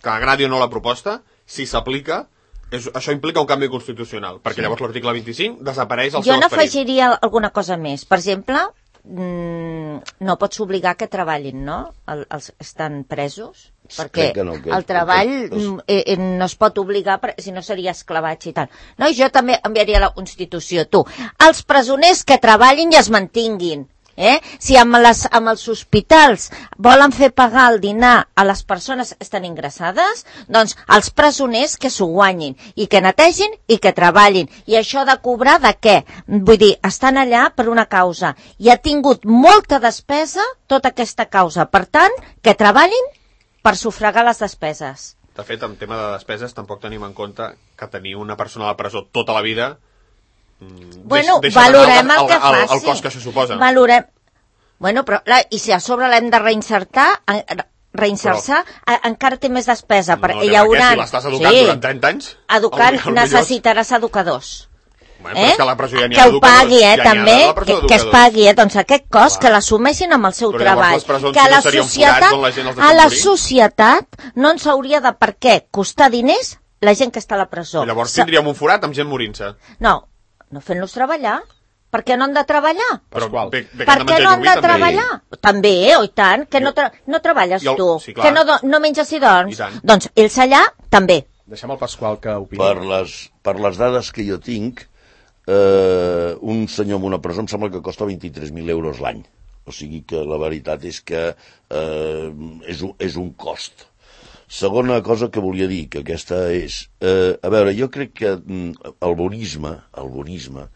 que agradi o no la proposta, si s'aplica, és, això implica un canvi constitucional, perquè sí. Llavors l'article vint-i-cinc desapareix el Jo seu esperit. n'afegiria alguna cosa més. Per exemple, mm, no pots obligar que treballin, no? El, els estan presos, perquè Crec que no, que- el treball que- que- mm, eh, eh, no es pot obligar, per- si no seria esclavatge i tal. No, jo també enviaria la Constitució, tu. Els presoners que treballin i es mantinguin. Eh? Si amb, les, amb els hospitals volen fer pagar el dinar a les persones que estan ingressades, doncs els presoners que s'ho guanyin i que netegin i que treballin. I això de cobrar de què? Vull dir, estan allà per una causa i ha tingut molta despesa tota aquesta causa. Per tant, que treballin per sufragar les despeses. De fet, en tema de despeses, tampoc tenim en compte que tenir una persona a la presó tota la vida Bueno, deixa valorem el, el que el, el, faci. el cost que això suposa. Valorem... Bueno, però la, i si a sobre l'hem de reinsertar, en- reinsertar, a- encara té més despesa. Per, no, hi haurà... Si l'estàs educant sí. durant trenta anys... Educant, el, el necessitaràs educadors. Bueno, però Eh? és que la presó ja n'hi ha que ho d'educadors. pagui, eh, Ja n'hi ha també, de la presó que, que es d'educadors. pagui, eh, doncs aquest cost, que l'assumeixin amb el seu Però llavors treball. les presons Que no la serien societat, forats on la gent els a deixa la morir? societat no ens hauria de per què costar diners la gent que està a la presó. I llavors Sa- tindríem un forat amb gent morint-se. No, no fent-los treballar. Per què no han de treballar? Però Pasqual. bé, bé que Per han de què menjar no han llumí, de també. treballar? També, eh, oh, i tant, que no, tra no treballes I el- tu, sí, clar. que no, do- no menges i dorms. I tant. Doncs ells allà també. Deixem al Pasqual que opini. Per les, per les dades que jo tinc, eh, un senyor en una presó em sembla que costa vint-i-tres mil euros l'any. O sigui que la veritat és que eh, és, un, és un cost. Segona cosa que volia dir, que aquesta és... Eh, a veure, jo crec que mm, el bonisme, el bonisme,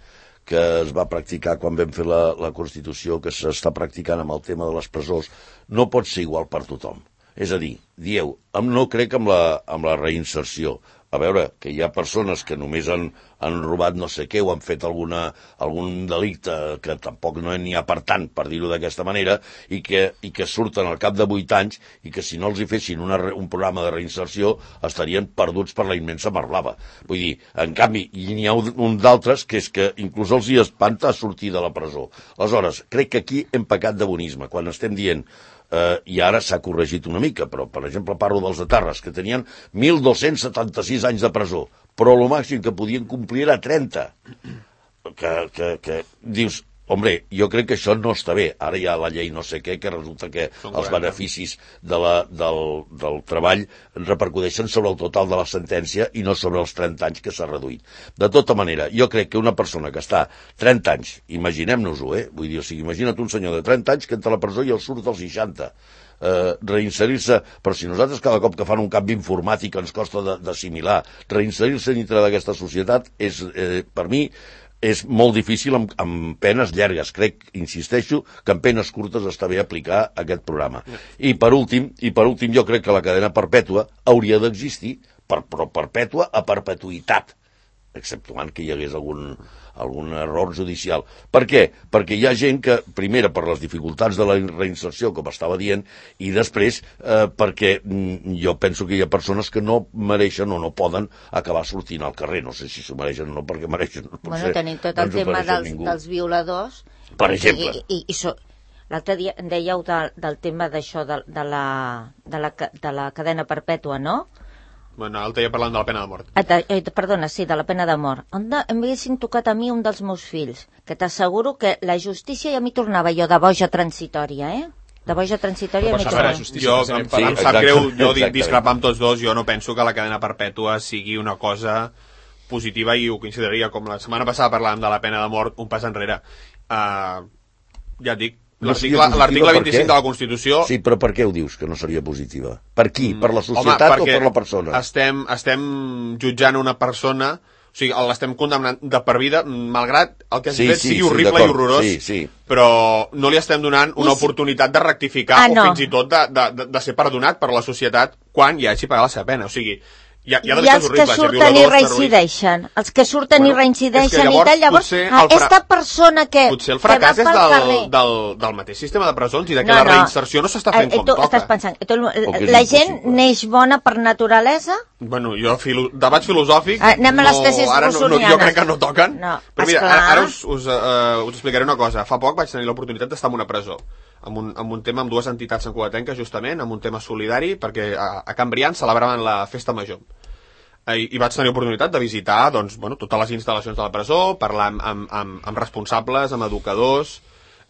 que es va practicar quan vam fer la, la Constitució, que s'està practicant amb el tema de les presons, no pot ser igual per tothom. És a dir, dieu, em no crec amb la, amb la reinserció. A veure, que hi ha persones que només han, han robat no sé què o han fet alguna, algun delicte que tampoc no n'hi ha per tant, per dir-ho d'aquesta manera, i que, i que surten al cap de vuit anys i que si no els hi fessin una, un programa de reinserció estarien perduts per la immensa mar blava. Vull dir, en canvi, n'hi ha un, un d'altres que és que inclús els hi espanta sortir de la presó. Aleshores, crec que aquí hem pecat de bonisme, quan estem dient Uh, i ara s'ha corregit una mica, però per exemple parlo dels de Tarres, que tenien mil dos-cents setanta-sis anys de presó, però el màxim que podien complir era trenta. Que, que, que dius, hombre, jo crec que això no està bé. Ara hi ha la llei no sé què, que resulta que Són els quaranta. beneficis de la, del, del treball repercuteixen sobre el total de la sentència i no sobre els trenta anys que s'ha reduït. De tota manera, jo crec que una persona que està trenta anys, imaginem-nos-ho, eh? Vull dir, o sigui, imagina't un senyor de trenta anys que entra a la presó i el surt als seixanta. Eh, reinserir-se, però si nosaltres cada cop que fan un canvi informàtic ens costa d'assimilar, reinserir-se dintre d'aquesta societat és, eh, per mi, és molt difícil amb, amb penes llargues. Crec, insisteixo, que amb penes curtes està bé aplicar aquest programa. I per últim, i per últim jo crec que la cadena perpètua hauria d'existir, per, però perpètua a perpetuïtat, exceptuant que hi hagués algun, algun error judicial. Per què? Perquè hi ha gent que, primera, per les dificultats de la reinserció, com estava dient, i després eh, perquè mm, jo penso que hi ha persones que no mereixen o no poden acabar sortint al carrer. No sé si s'ho mereixen o no, perquè mereixen. Bueno, tenim tot el tema dels, dels violadors. Per exemple. I, i, i so, l'altre dia em dèieu de, del tema d'això, de, de, la, de, la, de la cadena perpètua, no? Bueno, l'altre dia parlant de la pena de mort. Ah, de, eh, perdona, sí, de la pena de mort. On de, em haguessin tocat a mi un dels meus fills, que t'asseguro que la justícia ja m'hi tornava jo de boja transitòria, eh? De boja transitòria Però m'hi per tornava. saber, justícia, Jo, precisament em, per- em Sí, sap exacte, greu, jo exactament. discrepar amb tots dos, jo no penso que la cadena perpètua sigui una cosa positiva i ho consideraria, com la setmana passada parlàvem de la pena de mort, un pas enrere. Uh, ja et dic, L'article vint-i-cinc de la Constitució... Sí, però per què ho dius, que no seria positiva? Per qui? Per la societat o per la persona? Estem, estem jutjant una persona, o sigui, l'estem condemnant de per vida, malgrat el que has sí, fet sí, sigui horrible sí, i horrorós, sí, sí. Però no li estem donant una I oportunitat de rectificar ah, no. o fins i tot de, de, de, de ser perdonat per la societat quan ja hagi pagat la seva pena. O sigui, hi ha, hi ha, hi ha els que surten i reincideixen, els que surten bueno, i reincideixen i tal, llavors, aquesta persona que... Potser el fracàs és del, del, del mateix sistema de presons i de que no, la reinserció no s'està fent eh, com tu toca. Estàs pensant, tu, la gent neix bona per naturalesa? Bueno, jo, filo, debats filosòfics... Ah, anem a les tesis no, no, jo crec que no toquen. No, però mira, ara, ara us, us, uh, us explicaré una cosa. Fa poc vaig tenir l'oportunitat d'estar en una presó. Amb un, amb un tema amb dues entitats sancoatenques, justament, amb un tema solidari, perquè a, a Can Brians celebraven la festa major. I, i vaig tenir oportunitat de visitar doncs, bueno, totes les instal·lacions de la presó, parlar amb, amb, amb, amb responsables, amb educadors,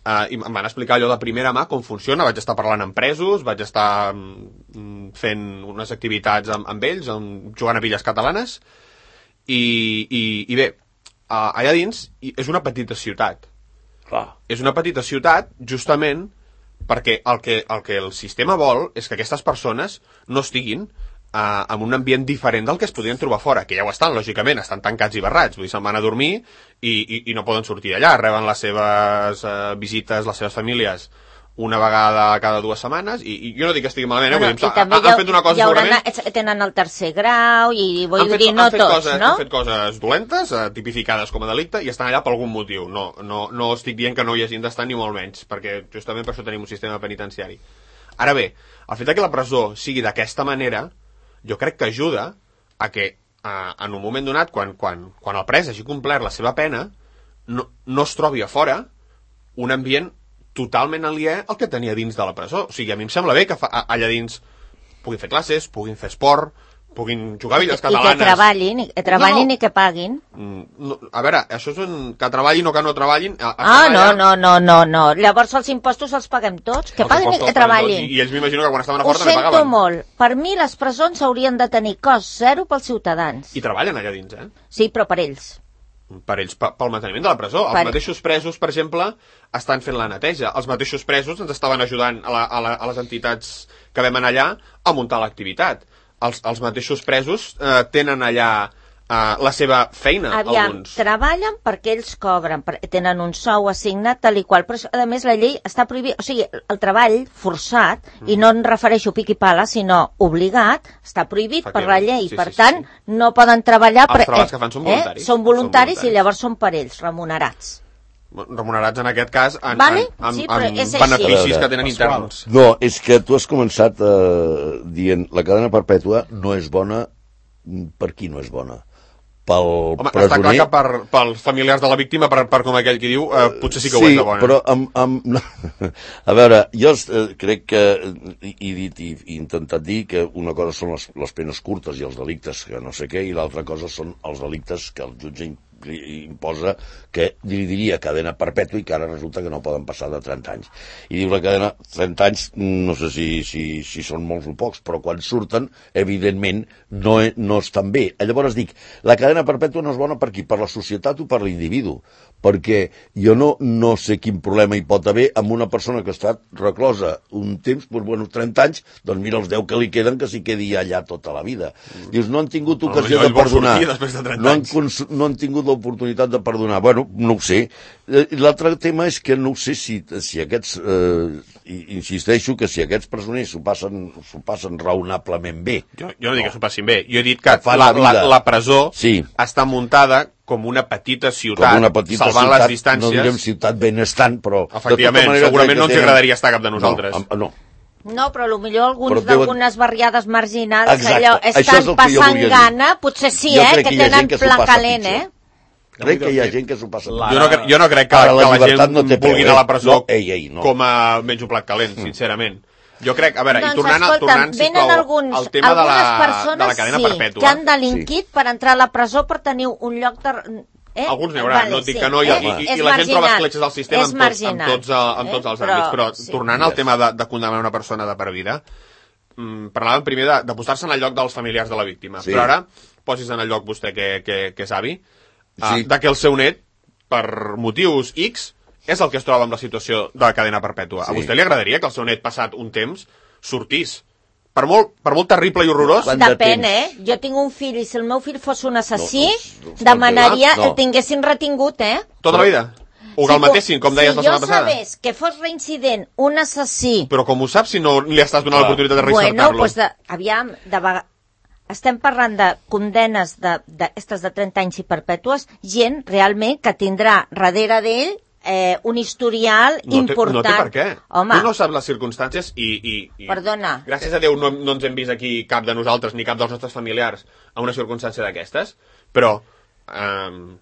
eh, i em van explicar allò de primera mà com funciona. Vaig estar parlant amb presos, vaig estar mm, fent unes activitats amb, amb ells, amb, jugant a pilles catalanes, i, i, i bé, eh, allà dins és una petita ciutat. Clar. És una petita ciutat justament perquè el que, el que el sistema vol és que aquestes persones no estiguin Uh, en un ambient diferent del que es podien trobar fora, que ja ho estan, lògicament, estan tancats i barrats, vull dir, se'n van a dormir i, i, i no poden sortir d'allà, reben les seves uh, visites, les seves famílies una vegada cada dues setmanes, i, i jo no dic que estigui malament, eh? Bueno, vull dir, han, han fet una cosa segurament... Haurà, tenen el tercer grau, i vull han fet, dir, no han fet tots, coses, no? Han fet coses dolentes, uh, tipificades com a delicte, i estan allà per algun motiu. No, no, no estic dient que no hi hagin d'estar ni molt menys, perquè justament per això tenim un sistema penitenciari. Ara bé, el fet que la presó sigui d'aquesta manera jo crec que ajuda a que eh, en un moment donat, quan, quan, quan el pres hagi complert la seva pena, no, no es trobi a fora un ambient totalment aliè al que tenia dins de la presó. O sigui, a mi em sembla bé que fa, allà dins puguin fer classes, puguin fer esport, puguin jugar a billes catalanes... I que treballin, i, treballin no, no. i que paguin. No, a veure, això és un, que treballin o que no treballin... Ah, no, no, no, no, no. Llavors els impostos els paguem tots, que els paguin i que treballin. I, I ells m'imagino que quan estaven a fora també pagaven. Ho sento molt. Per mi les presons haurien de tenir cost zero pels ciutadans. I treballen allà dins, eh? Sí, però per ells. Per ells, pel manteniment de la presó. Els per... mateixos presos, per exemple, estan fent la neteja. Els mateixos presos ens estaven ajudant a, la, a, la, a les entitats que vam anar allà a muntar l'activitat. Els, els mateixos presos eh, tenen allà eh, la seva feina. Aviam, alguns. Treballen perquè ells cobren, perquè tenen un sou assignat tal i qual, però a més la llei està prohibida, o sigui, el treball forçat, mm. i no em refereixo pic i pala, sinó obligat, està prohibit per la llei, sí, per sí, tant, sí. no poden treballar... Els treballs que fan són voluntaris. Eh? Són voluntaris, són voluntaris i llavors són per ells, remunerats. Remunerats en aquest cas en, vale? en, en, sí, en beneficis que tenen interns. No, és que tu has començat eh, dient la cadena perpètua no és bona. Per qui no és bona? Pel Home, presoner... està clar que per, pels familiars de la víctima, per, per com aquell qui diu, eh, potser sí que sí, ho és de bona. Però amb, amb... No. A veure, jo eh, crec que he dit i he intentat dir que una cosa són les, les penes curtes i els delictes que no sé què, i l'altra cosa són els delictes que el jutge imposa, que li diria cadena perpètua i que ara resulta que no poden passar de trenta anys. I diu la cadena, trenta anys, no sé si, si, si són molts o pocs, però quan surten, evidentment, no, no estan bé. Llavors dic, la cadena perpètua no és bona per qui? Per la societat o per l'individu? Perquè jo no, no sé quin problema hi pot haver amb una persona que ha estat reclosa un temps, doncs, bueno, trenta anys, doncs mira els deu que li queden que s'hi quedi allà tota la vida. Dius, no han tingut ocasió de perdonar. No han, no han tingut l'oportunitat de perdonar. Bueno, no ho sé. L'altre tema és que no sé si, si aquests, eh, insisteixo que si aquests presoners s'ho passen, s'ho passen raonablement bé. Jo, jo no dic que s'ho passin bé. Jo he dit que la, la, la presó sí. està muntada com una petita ciutat, com una petita salvant ciutat, les distàncies. No direm ciutat benestant, però... Efectivament, segurament no ens tenen... agradaria estar cap de nosaltres. No, no. No, però potser alguns d'algunes deuen... barriades marginals, exacte. allò, estan passant gana, potser sí, jo eh, que, que tenen pla calent, eh? Crec que hi ha gent que s'ho passa jo no, jo no crec que, la, que la gent no vulgui anar a la presó no, ei, ei, no. com a menys un plat calent, sincerament. Jo crec, a veure, doncs, i tornant, escolta, tornant sisplau, alguns, al tema de la, persones, de la cadena sí, perpètua. que han delinquit sí. per entrar a la presó per tenir un lloc de... Eh? Alguns n'hi haurà, vale, no et dic sí. que no, i, eh? i, i, i la gent troba escletxes al sistema en tots, en tots, en tots els eh? àmbits, però sí. tornant al tema de, de condemnar una persona de per vida, mmm, parlàvem primer de, de posar-se en el lloc dels familiars de la víctima, sí. però ara posis en el lloc vostè que, que, que és avi, sí. uh, de que el seu net, per motius X, és el que es troba amb la situació de la cadena perpètua. Sí. A vostè li agradaria que el seu net, passat un temps, sortís? Per molt, per molt terrible i horrorós... Depèn, eh? Jo tinc un fill i si el meu fill fos un assassí, no, no, no, demanaria no. el tinguessin retingut, eh? Tota la vida? O que sí, el matessin, com deies si la setmana passada? Si jo sabés que fos reincident un assassí... Però com ho saps si no li estàs donant l'oportunitat de reinsertar-lo? Bueno, doncs, de, aviam, de vegades... Estem parlant de condenes de, de, estes de trenta anys i perpètues, gent realment que tindrà darrere d'ell eh, un historial no important. Té, no té per què. Home. Tu no saps les circumstàncies i... i, i Perdona. Gràcies a Déu no, no ens hem vist aquí cap de nosaltres ni cap dels nostres familiars a una circumstància d'aquestes, però... Eh,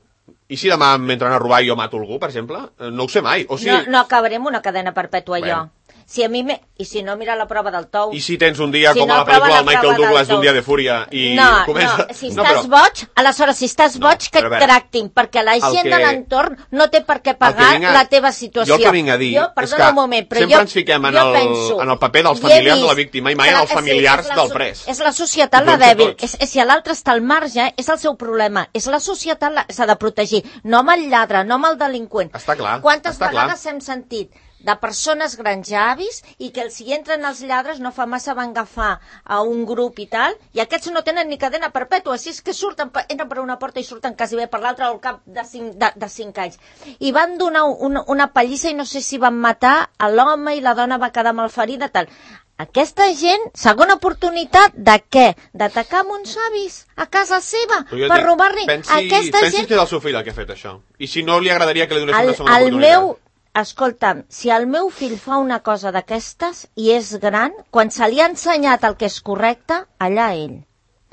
I si demà m'entren a robar i jo mato algú, per exemple? No ho sé mai. O sigui... no, no acabarem una cadena perpètua, bueno. jo. Si a mi me... I si no, mira la prova del tou. I si tens un dia si com no, a la pel·lícula del Michael Douglas d'un dia de fúria i no, comença... No, si no, estàs però... boig, aleshores, si estàs boig, no, que et tractin, perquè la gent que... de l'entorn no té per què pagar a... la teva situació. Jo el que vinc a dir jo, és que un moment, però sempre jo, ens fiquem en el, penso, en el paper dels familiars vist, de la víctima i mai en els familiars sí, del pres. És la societat la dèbil. És, és, si l'altre està al marge, és el seu problema. És la societat la... s'ha de protegir. No amb el lladre, no amb el delinqüent. Està clar. Quantes està vegades clar. hem sentit de persones grans avis i que si entren els lladres no fa massa van agafar a un grup i tal, i aquests no tenen ni cadena perpètua, si és que surten, entren per una porta i surten quasi bé per l'altra al cap de cinc, de, de cinc anys. I van donar un, una pallissa i no sé si van matar a l'home i la dona va quedar malferida, tal. Aquesta gent, segona oportunitat de què? D'atacar amb uns avis a casa seva per robar-li. Pensi, Aquesta pensi gent... que és el seu fill el que ha fet això. I si no li agradaria que li donessin el, una segona oportunitat. Meu... Escolta'm, si el meu fill fa una cosa d'aquestes i és gran, quan se li ha ensenyat el que és correcte, allà ell.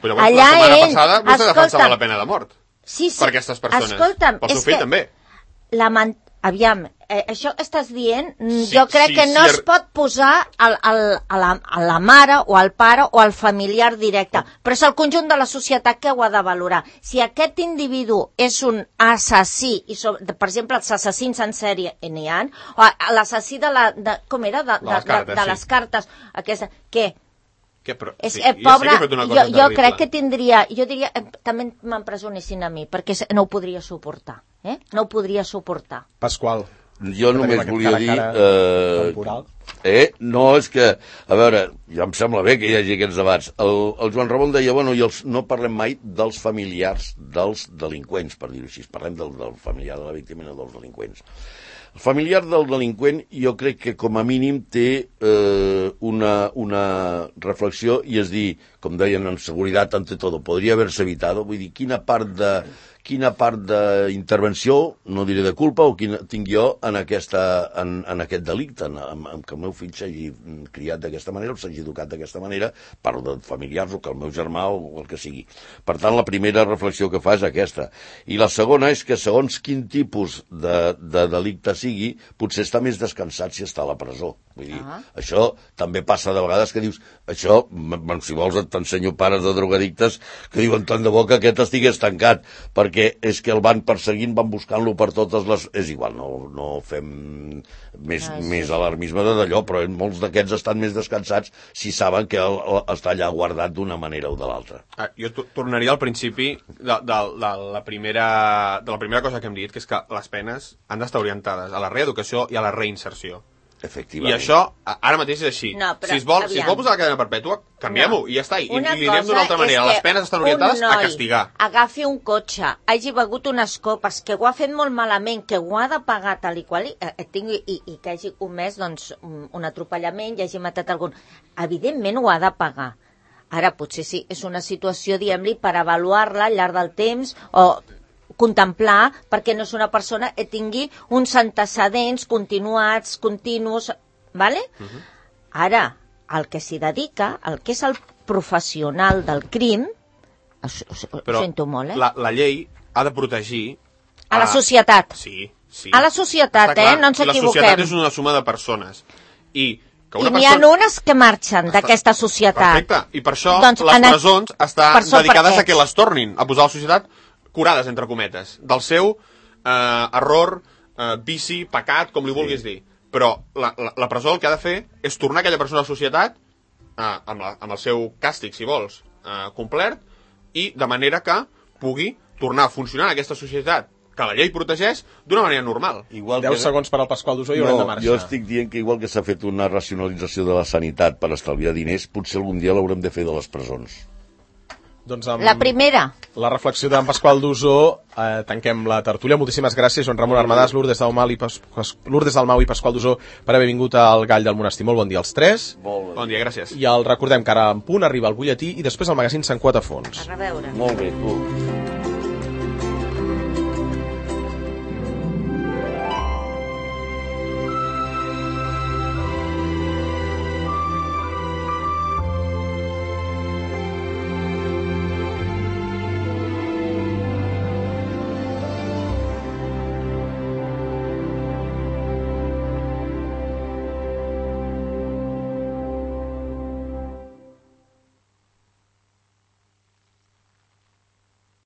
Però llavors, allà la setmana ell, passada vostè defensava la pena de mort. Sí, sí. Per aquestes persones. Escolta'm, pel seu fill que... també. Lament... Aviam, eh, això que estàs dient, sí, jo crec sí, que no sí, es pot posar al, al, a, la, a la mare o al pare o al familiar directe, però és el conjunt de la societat que ho ha de valorar. Si aquest individu és un assassí, i so, per exemple els assassins en sèrie n'hi ha, o l'assassí de la... De, com era? De, de, de, les cartes, de, de les cartes aquesta, què? Que, però, és, sí, eh, pobre, jo, jo, jo crec que tindria, jo diria, eh, també m'empresonessin a mi, perquè no ho podria suportar, eh? No ho podria suportar. Pasqual. Jo només volia dir... Eh, eh, no, és que, a veure, ja em sembla bé que hi hagi aquests debats. El, el Joan Ramon deia, bueno, i els, no parlem mai dels familiars dels delinqüents, per dir-ho així, parlem del, del familiar de la víctima i no dels delinqüents. El familiar del delinqüent jo crec que com a mínim té eh, una, una reflexió i és dir, com deien en seguretat ante todo, podria haver-se evitado, vull dir, quina part de quina part d'intervenció, no diré de culpa, o quina tinc jo en, aquesta, en, en aquest delicte, en, en, en que el meu fill s'hagi criat d'aquesta manera o s'hagi educat d'aquesta manera, parlo de familiars o que el meu germà o el que sigui. Per tant, la primera reflexió que fa és aquesta. I la segona és que segons quin tipus de, de delicte sigui, potser està més descansat si està a la presó. Vull dir, ah. Això també passa de vegades que dius, això, si vols t'ensenyo pares de drogadictes que diuen tant de bo que aquest estigués tancat, perquè és que el van perseguint, van buscant-lo per totes les... És igual, no, no fem més, ah, sí. més alarmisme d'allò, però molts d'aquests estan més descansats si saben que el, el, està allà guardat d'una manera o de l'altra. Ah, jo tornaria al principi de, de, de, la primera, de la primera cosa que hem dit, que és que les penes han d'estar orientades a la reeducació i a la reinserció. Efectivament. I això, ara mateix és així. No, però, si, es vol, si es vol posar la cadena perpètua, canviem-ho, no. I ja està. I, i li anem d'una altra manera. Les penes estan orientades a castigar. Agafi un cotxe, hagi begut unes copes, que ho ha fet molt malament, que ho ha de pagar tal i qual, i, eh, tingui, i, i que hagi comès doncs, un atropellament i hagi matat algun... Evidentment ho ha de pagar. Ara, potser sí, és una situació, diguem-li, per avaluar-la al llarg del temps, o... contemplar perquè no és una persona que tingui uns antecedents continuats, continus, ¿vale? Uh-huh. Ara, el que s'hi dedica, el que és el professional del crim, ho, ho, ho sento molt, eh? La, la llei ha de protegir... A, a la societat. Sí, sí. A la societat, eh? No ens equivoquem. La societat és una suma de persones. I que una I n'hi persona... ha unes que marxen d'aquesta societat. Perfecte. I per això doncs, les presons estan dedicades a que les tornin a posar a la societat curades, entre cometes, del seu eh, error, eh, vici, pecat, com li vulguis sí. dir. Però la, la, la presó el que ha de fer és tornar aquella persona a la societat eh, amb, la, amb el seu càstig, si vols, eh, complet, i de manera que pugui tornar a funcionar en aquesta societat que la llei protegeix d'una manera normal. Igual deu que... segons per al Pasqual d'Usó i no, haurem de marxar. Jo estic dient que igual que s'ha fet una racionalització de la sanitat per estalviar diners, potser algun dia l'haurem de fer de les presons. Doncs amb la primera. La reflexió d'en Pasqual d'Usó, eh, tanquem la tertúlia. Moltíssimes gràcies, Joan Ramon Armadàs, Lourdes Dalmau i, Pas... Lourdes Dalmau i Pasqual d'Usó, per haver vingut al Gall del Monestir. Molt bon dia als tres. Bon, bon dia, gràcies. I el recordem que ara en punt arriba el butlletí i després el magazín Sant Quatre Fons. A reveure. Molt bé, tu.